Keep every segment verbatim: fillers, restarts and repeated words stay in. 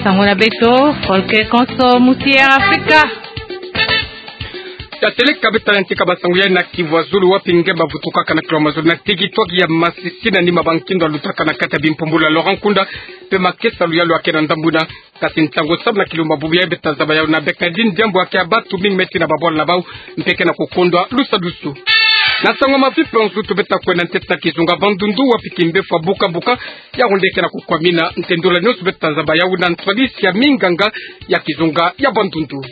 Sango na beto, folke konso musi ya Afrika. Ya seleka beto na ntika ba sango ya na Kivu ya zulu, wapi nge bavutukaka na kilo mazulu na tekitwaki ya Masisi na nima ba nkindo alutaka na kati ya bimpumbulu ya Laurent Nkunda, mpe makesa luyalu yake na ndambu yina. Kasi ntangu samu na kilumbu bubu yayi beto tazaba yawu na Bernardine Diambu, yake ya batu mingi me tina babwala na bawu, mpe ke na kukondwa lusadusu. Na sango ya mavipe nzutu beto takwenda ntete na kizunga Bandundu, wapi kimbefu ya bukabuka ya honde ke na kukwamina. Ntendula nionso beto tazaba yawu na ntwadisi ya minganga ya kizunga ya Bandundu.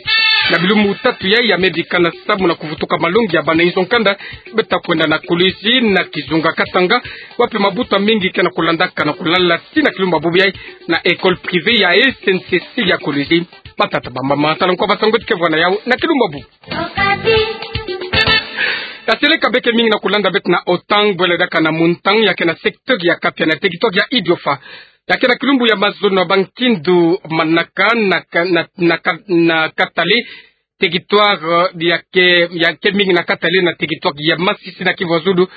Na bilumbu tatu yayi ya me bikana samu na kuvutuka malongi ya bana inzo nkanda, beto takwenda na Kolwezi na kizunga Katanga, wapi mabuta mingi ke na kulandaka na kulala tii na kilumbu bubu yayi na école privée ya S N C C ya Kolwezi. Matata bamba matala nkwa ba sango ti ke vwa na yawu na kilumbu bubu. Ya seleka beke mingi na kulanda beto na Otang, bwela daka na Muntang, yake na secteur ya Kapia na tekitwaki ya Idiofa. Yake na kilumbu ya mazono ya ba nkindo manaka na ka-, na, na ka-, na Katale, territoire, euh, yake, yake mingi na Katale na territoire ya Masisi na Kivu ya zulu,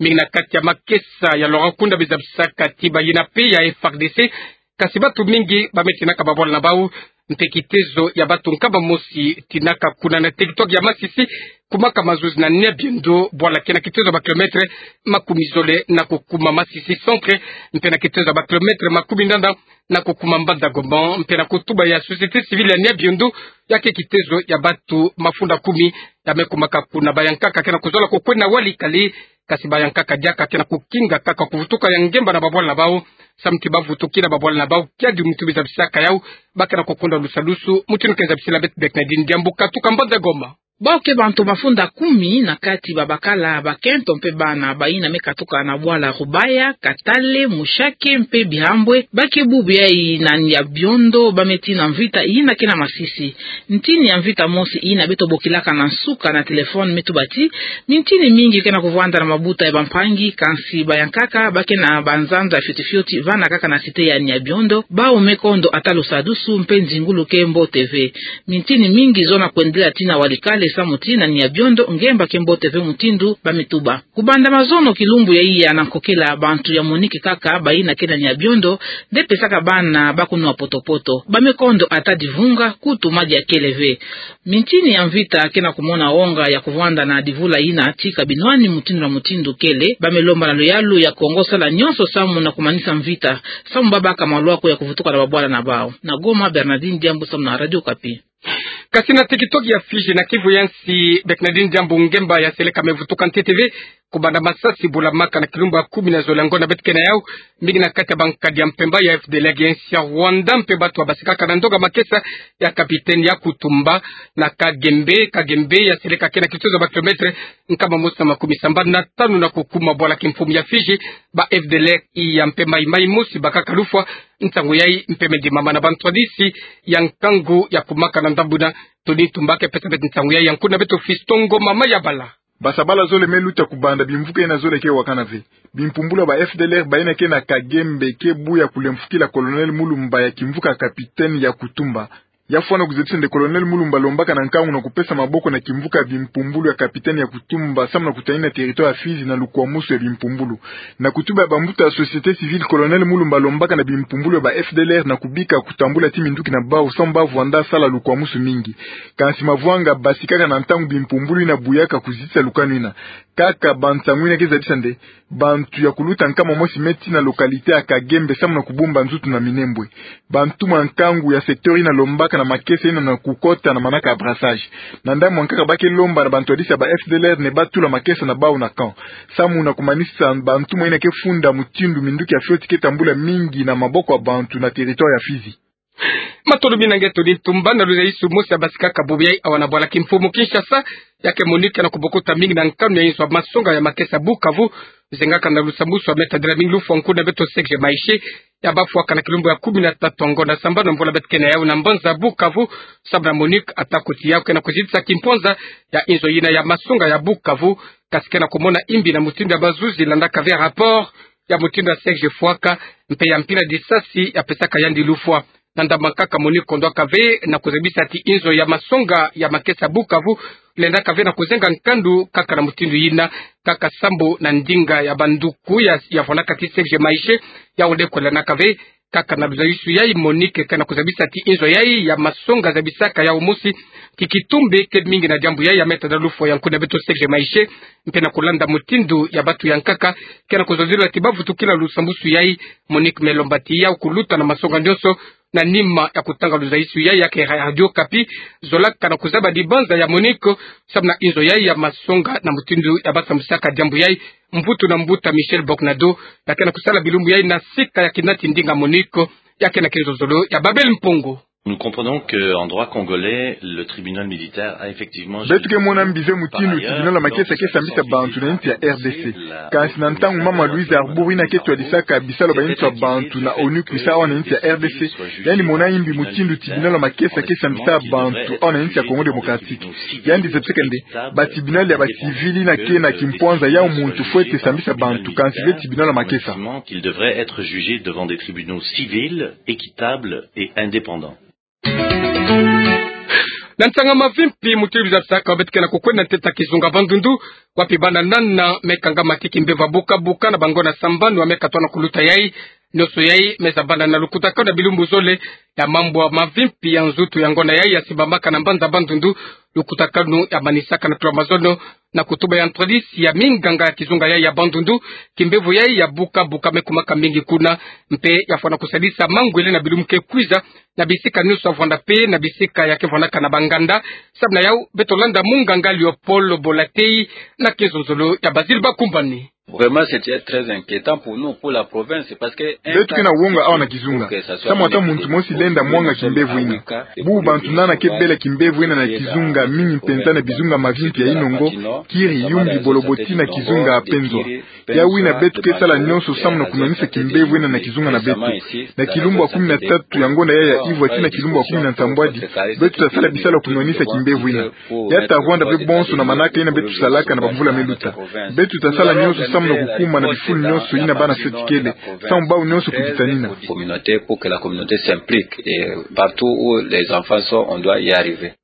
mingi na kati ya makesa ya Laurent Nkunda bizabisaka ti bayina mpe ya F A R D C, kasi batu mingi ba me tinaka babwala na bawu, mpe kitezo ya batu nkama mosi tinaka kuna na territoire ya Masisi, kumaka mazuzi na Niabiendo, bwala ke na kitezo ya ba kilomètre makumi zole na kukuma Masisi centre, mpe na kitezo ya ba kilomètre makumi ndanda na kukuma Mbanza Gombo, mpe na kutuba ya société civile ya Niabiendo, yake kitezo ya batu mafunda kumi ya me kumaka kuna. Bayankaka ke na kuzola kukwenda walikali, kasi bayankaka diaka ke na kukinga kaka kuvutuka ya ngemba na babwala na bawu, samu ti bavutukila babwala na bawu kiadi mutu bizabisaka yawu, ba ke na kukondwa lusadusu, mutindu ke zabisila beto Bernardine Diambu katuka Mbanza Gombo. Bawu ke bantu mafunda kumi, na kati babakala, bakento mpe bana, bayina me katuka na bwala Rubaya, Katale, Mushaki mpe Bihambwe, ba ke bubu yayi na Niabiendo, ba me tii na mvita yina ke na Masisi. Ntini ya mvita mosi yina beto bokilaka na nsuka na téléphone me tuba ti mintini mingi ke na kuvwanda na mabuta ya bampangi, kansi bayankaka ba ke na banzanza fioti fioti vana kaka na cité ya Niabiendo, bawu me kondo ata lusadusu mpe nzingulu ke mbote ve. Mintini mingi zona kwendela tii na walikali samu ti na Niabiendo ngemba ke mbote ve mutindu ba me tuba. Kubanda mazono kilumbu yayi ya na nkokela, bantu ya MONUC kaka bayina ke na Niabiendo nde pesaka bana baku nwa poto-poto. Ba me kondo ata divunga, kutu madi ya kele ve. Mintini ya mvita ke na kumona wonga ya kuvwanda na divula yina tika binwani mutindu na mutindu kele. Ba me lomba na luyalu ya Kongo sala nionso samu na kumanisa mvita, samu babaka malwaku ya kuvutuka na babwala na bawu. Na Goma, Bernardine Diambu samu na Radio Okapi. Kasi na territoire ya Fidji, na Kivu ya nsi, Bernardine Diambu, ngemba ya seleka me vutuka ntete ve, kubanda masasi bulamaka na kilumbu ya kumi na zole ya ngonda beto ke na yawu, mingi na kati ya bankadi ya mpemba ya F D L R ya nsi ya Rwanda, mpe batu ya basikaka na ndonga makesa ya capitaine ya Kutumba na Kagembe. Kagembe ya seleka ke na kitezo ya ba kilomètre nkama mosi na makumi sambanu na tanu na kukuma bwala kimfumu ya Fidji. Ba F D L R ya mpemba, maï-maï mosi bakaka lufwa. Nsangu yayi mpe me ndimama na bantwadisi ya nkangu ya kumaka na ndambu yina. Tony Tumba ke pesa beto nsangu yayi, ya nkuna beto Fiston Ngoma Mayabala. Basabala zole me luta kubanda bimvuka yina zole ke wakana ve. Bimpumbulu ya ba F D L R bayina ke na Kagembe ke buya kulemfukila Colonel Mulumba ya kimvuka capitaine ya Kutumba. Ya fwana kuzabisa nde Colonel Mulumba alombaka na nkangu na kupesa maboko na kimvuka ya bimpumbulu ya capitaine ya Kutumba samu na kutani na territoire ya Fidji na lukwamusu ya bimpumbulu. Na kutuba ya bambuta ya société civile, Colonel Mulumba alombaka na bimpumbulu ya ba F D L R na kubika kutambula tii minduki na bawu samu ba vwanda sala lukwamusu mingi. Kansi mavwanga basikaka na ntangu bimpumbulu yina buyaka kuzitisa lukanu yina. Kaka bansangu yina ke zabisa nde bantu ya kuluta nkama mosi me tii na localité ya Kagembe samu na kubumba nzutu na Minembwe. Bantumwa ya nkangu ya secteur yina alombaka na makesa yina na kukota na manaka ya brassage. Na ndambu ya nkaka ba ke lomba na bantwadisi ya ba F D L R nde batula makesa na bawu na camp, samu na kumanisa bantumwa yina ke funda mutindu minduki ya fioti ke tambula mingi na maboko ya bantu na territoire ya Fidji. Matondo mingi na nge Tony Tumba. Na luzayisulu mosi ya basikaka bubu yayi awa na bwala kimfumu Kinshasa, yake MONUC na kubokuta mingi na nkanu ya inzo ya masonga ya makesa Bukavu, zengaka na lusambwasu ya me tadila mingi lufwa. Nkuna beto Serge Maeshe, ya bafwaka na kilumbu ya kumi na tatu ya ngonda sambanu ya mvula beto ke na yawu na mbanza Bukavu, samu na MONUC ata kuti yawu ke na kuzitisa kimponza ya inzo yina ya masonga ya Bukavu, kasi ke na kumona imbi na mutindu ya bazuzi landaka ve rapport ya mutindu ya Serge fwaka, mpe ya mpila disasi ya pesaka yandi lufwa. Na ndambu ya nkaka MONUC kondwaka ve na kuzabisa ti inzo ya masonga ya makesa Bukavu lendaka ve na kuzenga nkandu kaka na mutindu yina, kaka sambu na ndinga ya banduku ya, ya vwandaka ti Serge Maeshe, yawu nde kwelanaka ve Kaka na luzayusu yai, Monique ke na kuzabisa ti inzo yai ya masonga zabisaka yau mosi ti kitumbe ke mingi na diambu yai ya Me Tata Lufwa Yankuna, beto Serge Maishe, mpe na kulanda mutindu ya bantu ya nkaka ke na kuzolila ti bavutukila lusambusu yai. Monique me lomba ti yau kuluta na masonga nionso na nima ya kutanga luzayusu yai ya ke Radio Okapi, zolaka na kuzaba dibanza ya Monique samu na inzo yai ya masonga na mutindu ya basambusaka diambu yai. Mvutu na mbuta Michel Boknado, ya ke na kusala bilumbu yai na sika ya kinati ndinga Monique, ya ke na kenzozolo ya Babel Mpongo. Nous comprenons que, en droit congolais, le tribunal militaire a effectivement jugé. Beto ke mona mbi ve mutindu tribunal ya makesa ke sambisa bantu na insi ya R D C. Kansi na ntangu Mama Louise Arbour ina ke twadisaka bisalu ba insi ya bantu na ONU kwisa awa na insi ya R D C, yandi mona mbi mutindu tribunal ya makesa ke sambisa bantu awa na insi ya Congo Démocratique. Yandi zebisaka nde ba tribunal ya ba civil ina ke na kimpwanza ya muntu fwete sambisa bantu, kansi ve tribunal ya makesa. Qu'il devrait être jugé devant des tribunaux civils, équitables et indépendants. Na nsanga mavimpi, mutindu bizabisaka, beto ke na kukwenda ntete ya kizunga Bandundu, wapi bana nana me kangama ti kimbevo buka buka na bangona sambanu ya me katona kuluta yai. Nionso yai me zabanda na lukutakanu ya bilumbu zole ya mambu ya mavimpi ya nzutu ya ngona yai ya simbamaka na mbanza Bandundu. Lukutakanu ya manisaka na tula mazono na kutuba ya ntwadisi ya minganga ya kizunga yai ya Bandundu, kimbevo yai ya buka buka me kumaka mingi kuna, mpe ya fwana kusadisa mangwele na bilumbu ke kwiza na bisika nionso ya vwanda mpe na bisika ya ke vwandaka na banganda. Samu na yau, beto landa munganga Léopold Bolatei na kenzonzolo ya Basile Bakumbani. Vraiment, c'est très inquiétant pour nous, pour la province, parce que beto ke na wonga awa na kizunga. Samu ata muntu mosi lenda mwanga kimbevo ina. Bubu bantu nana ke bela kimbevo ina na kizunga, mingi mpenza na bizunga mavimpi ya Inongo, Kiri, Yumbi, Boloboti na kizunga Penzwa. Yau ina beto ke sala nionso samu na kunwanisa kimbevo ina na kizunga na beto. Na kilumbu ya kumi na tatu ya ngonda yai ya ivwa tii na kilumbu ya kumi na nsambwadi, beto ta sala bisalu ya kunwanisa kimbevo ina. Ya ta vwanda ve bonso na manaka ina beto salaka na bamvula me luta. Beto ta sala nionso samu na kukuma na bifulu nionso ina bana seti kele, samu bau nionso kuditanina. Communauté, pour que la communauté s'implique, et partout où les enfants sont, on doit y arriver.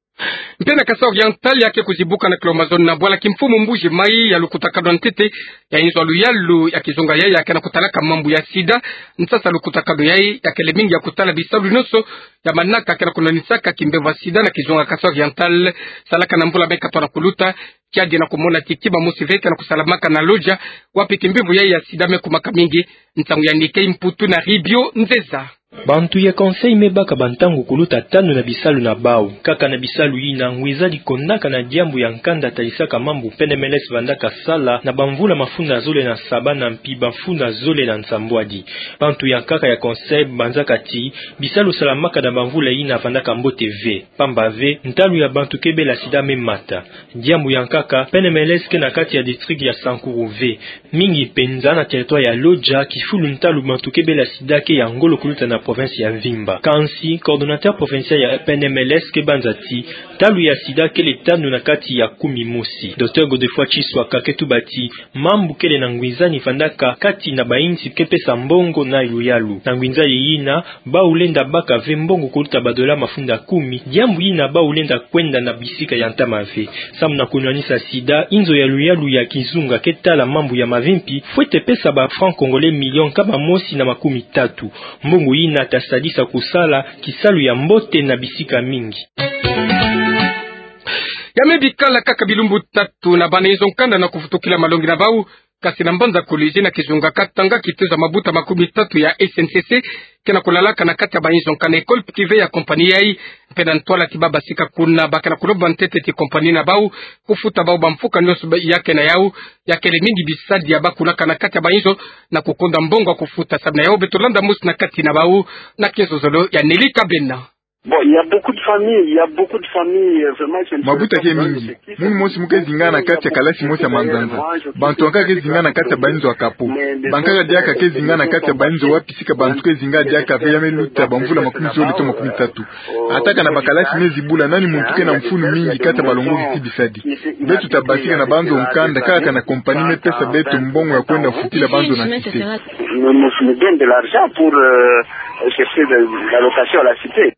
Mpe na Kasaï Oriental, ya ke kuzibuka na kilo mazono na bwala kimfumu Mbuji Mayi ya lukutakanu ya ntete ya inzo ya luyalu ya kizunga yai ya ke na kutalaka mambu ya sida. Nsasa lukutakanu yai ya kele mingi ya kutala bisalu nionso ya manaka ke na kunwanisaka kimbevo ya sida na kizunga Kasaï Oriental. Salaka na mvula me katona kuluta, kiadi na kumona ti kima mosi ve ke na kusalamaka na Lodja, wapi kimbevo yai ya sida me kumaka mingi. Nsangu ya Nike Mputu na Ribio Nzeza. Bantu ya Conseil me baka bantangu kuluta tanu na bisalu na bau. Kaka na bisalu ina, ngwizadi kondaka na diambu ya nkanda talisaka mambu P N M L S vandaka sala na bamvula mafunda zole na saba na mpi bamfunda zole na nsambwadi. Bantu ya nkaka ya Conseil banzaka ti bisalu salamaka na bamvula ina vandaka mbote ve. Pamba ve, ntalu ya bantu ke bela sida me mata. Diambu ya nkaka, P N M L S ke na kati ya district ya Sankuru ve. Mingi mpenza na territoire ya Lodja, kifulu ntalu bantu ke bela sida ke ya ngolo kuluta na province ya mvimba. Kansi, coordonnateur provincial ya P N M L S ke banza ti ntalu ya sida kele tanu na kati ya kumi mosi. Docteur Godefroid Tshiswaka ke tuba ti mambu kele na ngwinzani vandaka kati na bayinsi ke pesa mbongo na luyalu. Na ngwinzani ina, bau lenda baka ve mbongo kuluta ba dollars mafunda kumi, diambu ina bau lenda kwenda na bisika ya ntama ve. Samu na kunwanisa sida, inzo ya luyalu ya kizunga ke tala mambu ya mavimpi fwete pesa ba francs congolais million nkama mosi na makumi tatu. Mbongo ina ta sadisa kusala kisalu ya mbote na bisika mingi. Ya me bikala kaka bilumbu tatu na bana inzo nkanda na kuvutukila malongi na bau, kasi na mbanza Kolwezi na kizunga Katanga, kitezo ya mabuta makumi tatu ya S N C C ke na kulalaka na kati ya ba inzo nkanda, école privée ya compagnie yai, mpe na ntwala ti baba sika kuna ba ke na kulomba ntete ti compagnie na bau kufuta bau bamfuka nionso ba ya ke na yau, ya kele mingi bisadi ya bakulaka na kati ya ba inzo na kukonda mbongo ya kufuta. Samu na yau beto landa mosi na kati na bau na kenzozolo ya Nelly Kabena. Bon, il y a beaucoup de familles, il y a beaucoup de familles, euh, vraiment, qui ne... Mabuta ke mingi. Munu mosi mu ke zinga na kati ya kalasi mosi ya manzanza. Bantu ya nkaka ke zinga na kati ya ba inzo ya kapo. Bankaka diaka ke zinga na kati ya ba inzo wapi sika bantu ke zinga diaka ve ya me luta bamvula makumi zole to makumi tatu. Ata kana bakalasi me zibula, nani muntu ke na mfunu mingi kati ya balongoki ti bisadi? Beto ta basika na banzo nkanda, kaka kana compagnie me pesa beto mbongo ya kwenda futila banzo na cité. Nous, nous, nous donne de l'argent pour, euh, chercher de, l'allocation à la cité.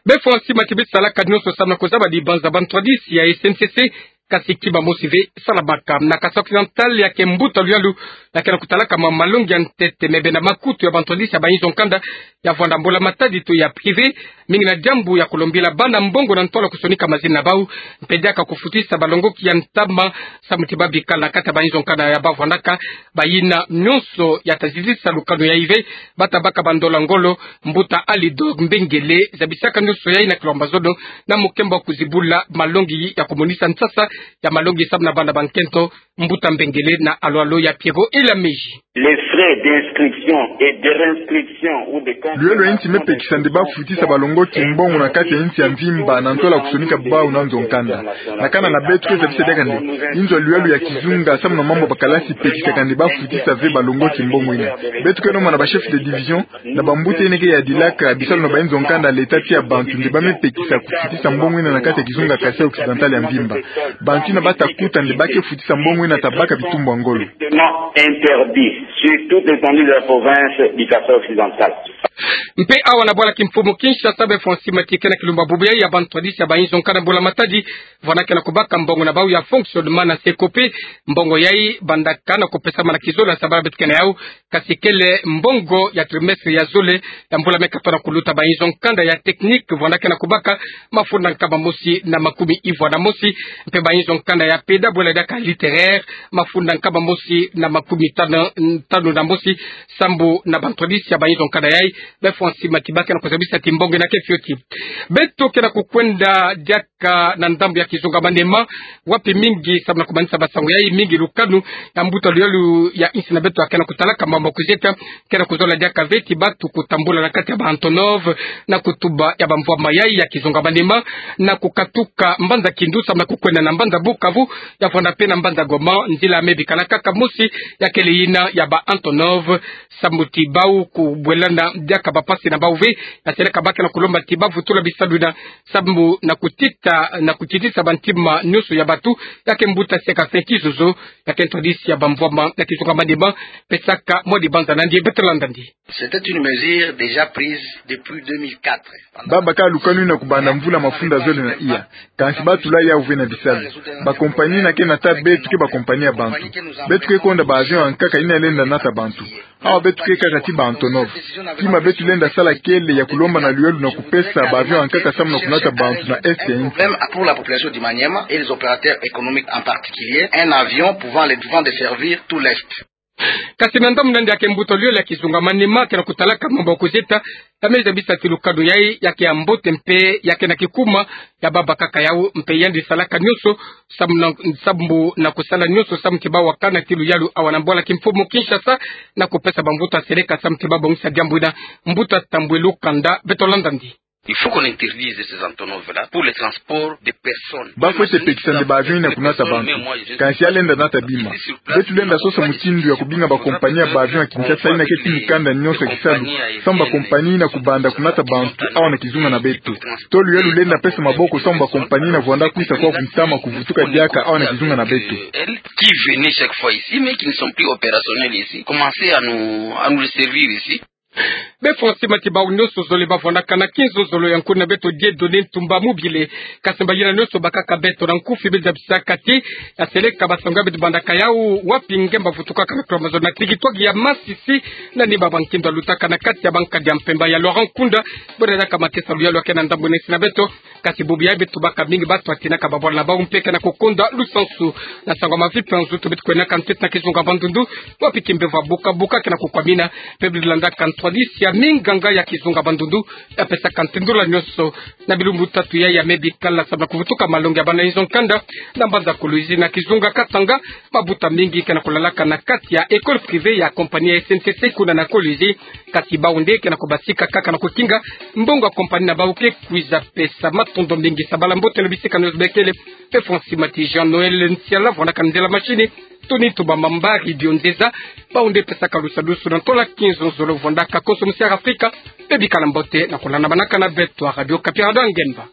Be fwa nsima ti bisalaka nionso samu na kuzaba dibanza, bantwadisi ya S N C C kasi kima mosi ve salamaka. Na Kasaï Occidental, ya ke mbuta luyalu ya ke na kutalaka ma malongi ya ntete, me bena makutu ya bantwadisi ya bainzo nkanda ya vwanda mbula matadi to ya privé, mingi na diambu ya kulombila bana mbongo na ntola kusonika mazina na bau, mpe diaka kufutisa balongoki ya ntama, samu ti babikala na kati ya bainzo nkanda ya bavwandaka. Bayina nyonso ya ta zizisa lukanu yayi ve, bata baka bandola ngolo. Mbuta Alidor Mbengele zabisaka nyonso yayi na kilomba zono, na mukembo wa kuzibula malongi ya kumonisa nsasa ya malongi samu na bana bankento. Mbuta Mbengele na alwalo ya Pierrot Elamezi. Les frais d'inscription et de réinscription ou de... Luyalo ya nsi mepekisa nde bafutisa balongoki mbongo na kati ya nsi ya mvimba na ntola kusonika bau na nzo nkanda. Na kana na beto ke zabisa diaka nde inzo ya luyalo ya kizunga samu na mambu ya bakalasi epekisaka nde bafutisa ve balongoki mbongo ina. Beto ke nomona ba chef de division na bambuta ina ke yadilaka bisalu na bainzo nkanda, leta tia bantu nde bamepekisa kufutisa mbongo ina na kati ya kizunga Kasaï Occidental ya mvimba. Bantu ina bata kuta nde ba ke futisa mbongo ina ta baka bitumbu ya ngolo. Interdit sur toute l'étendue de la province du Kasaï Occidental. Mpe awa na bwala kimfumu Kinshasa, be Francis Mati ke na kilumba bubu yayi ya bantwadisi ya bainzo nkanda mbula matadi, vwanda ke na kubaka mbongo na bau ya fonctionnement na Secope. Mbongo yayi bandaka na kupesamana kizolo ya sabala beto ke na yau, kasi kele mbongo ya trimestre ya zole ya mbula me katoa na kuluta. Bainzo nkanda ya technique vwanda ke na kubaka mafunda nkama mosi na makumi ivwa na mosi, mpe bainzo nkanda ya peda bwela diaka littéraire mafunda nkama mosi na makumi tanu, tanu na mosi. Sambu na bantwadisi ya bainzo nkanda yayi, be Francis Mati ba ke na kuzabisa ti mbongo ina ke fioti. Beto ke na kukwenda diaka na ndambu ya kizunga Maniema, wapi mingi samu na kumanisa basango yayi, mingi lukanu ya mbuta luyalu ya nsi na beto ya ke na kutalaka mambu ya kuzieta, ke na kuzola diaka ve ti batu kutambula na kati ya ba Antonov na kutuba ya bamvwama yayi ya kizunga Maniema, na kukatuka mbanza Kindu samu na kukwenda na mbanza Bukavu, ya vwanda mpe na mbanza Goma, nzila me bikala kaka mosi, ya kele ina ya ba Antonov. Sambu ti bau kubwelana diaka bapasi na bau ve, ya seleka ba ke na kulomba ti bavutula bisalu ina, sambu na kutita, na kutitisa bantima nyonso ya batu, ya ke mbuta Seka Seki Zozo, ya ke ntwadisi ya bamvwama na kizunga Maniema, pesaka mwa dibanza na ndi. Beto landa ndi. C'était une mesure déjà prise depuis deux mille quatre. Babaka lukanu ina kubanda mvula mafunda zole na iya. Kansi batula yau ve na bisalu. Bakompani ina ke nata beto ke bakompani ya bantu. Beto ke konda ba avion ya nkaka ina lenda nata bantu. Awa beto ke kaka ti ba Antonov. Kima beto lenda sala kele ya kulomba na luyalu na kupesa ba avion ya nkaka samu na kunata bantu na est ya nsi. Même pour la population du Maniema et les opérateurs économiques en particulier, un avion pouvant les, pouvant desservir tout l'est. Kasi na ndambu na ndi, ya ke mbuta luyalu ya kizunga Maniema ke na kutalaka mambu ya kuzieta, ya me zabisa ti lukanu yayi ya ke ya mbote mpe ya ke na kikuma, ya babakaka yau mpe yandi salaka nyonso sambu na, sambu na kusala nyonso samu ti bawakana ti luyalu awa na bwala kimfumu Kinshasa, na kupesa bamvutu ya seleka samu ti babongisa diambu ina. Mbuta Tambwe Lukanda, beto landa ndi. Il faut qu'on interdise ces Antonov-là pour le transport des personnes. Ba fwete pekisa nde ba avion ina kunata bantu. Kansi ya lenda nata bima. Beto lenda sosa mutindu ya kubinga bakompani ya ba avion ya Kinshasa ina ke ti mikanda nyonso ya kisalu, samu bakompani ina kubanda kunata bantu awa na kizunga na beto. Tolo ya lulenda pesa maboko samu bakompani ina vwanda kwisa kwaku ntama kuvutuka diaka awa na kizunga na beto. Qui venaient chaque fois ici, mais qui ne sont plus opérationnels ici, commencez à nous, à nous les servir ici. Be Francis Mati, bau nyonso zole bavwandaka na kinzozolo ya nkuna beto Dieudonné Ntumba Mobile. Kasi mbayina nyonso bakaka beto na nkufi, be zabisaka ti ya seleka basango ya beto bandaka yau wapi nge mbavutukaka na kilomba zole na territoire ya Masisi, na ni baba nkindo alutaka na kati ya bankadi ya mpemba ya Laurent Nkunda. Bwena diaka matesa luyalu ya ke na ndambu na nsi na beto. Kasi bubu yayi beto baka mingi batu batinaka babwala na bau mpe ke na kukonda lusansu na sango ya mavi mpe ya nzutu beto kwenaka ntete na kizunga Bandundu, wapi kimbevo ya buka buka ke na kukwamina. Mpe beto landaka ntwadisi ya minganga ya kizunga Bandundu, ya pesaka ntindula nyonso na bilumbu tatu yayi ya me bikala samu na kuvutuka malongi ya bana inzo nkanda na mbanza Kolwezi na kizunga Katanga. Mabuta mingi ke na kulalaka na kati ya école privée ya compagnie ya S N C C kuna na Kolwezi. Kasi bau nde ke na kubasika kaka na kukinga mbongo ya compagnie na bau ke kwiza pesa. Matondo mingi, sabala mbote na bisika nyonso bekele. Be Francis Mati, Jean Noël Nsiala vwandaka nzela machine, Tony Ntumba Mamba, Radio Nzeza, bau nde pesaka lusadusu na ntola kinzonzolo vwandaka Konso Musiara Afrika. Be bikala mbote na kulandamanaka na beto wa Radio Okapi, Radio ya Ngemba.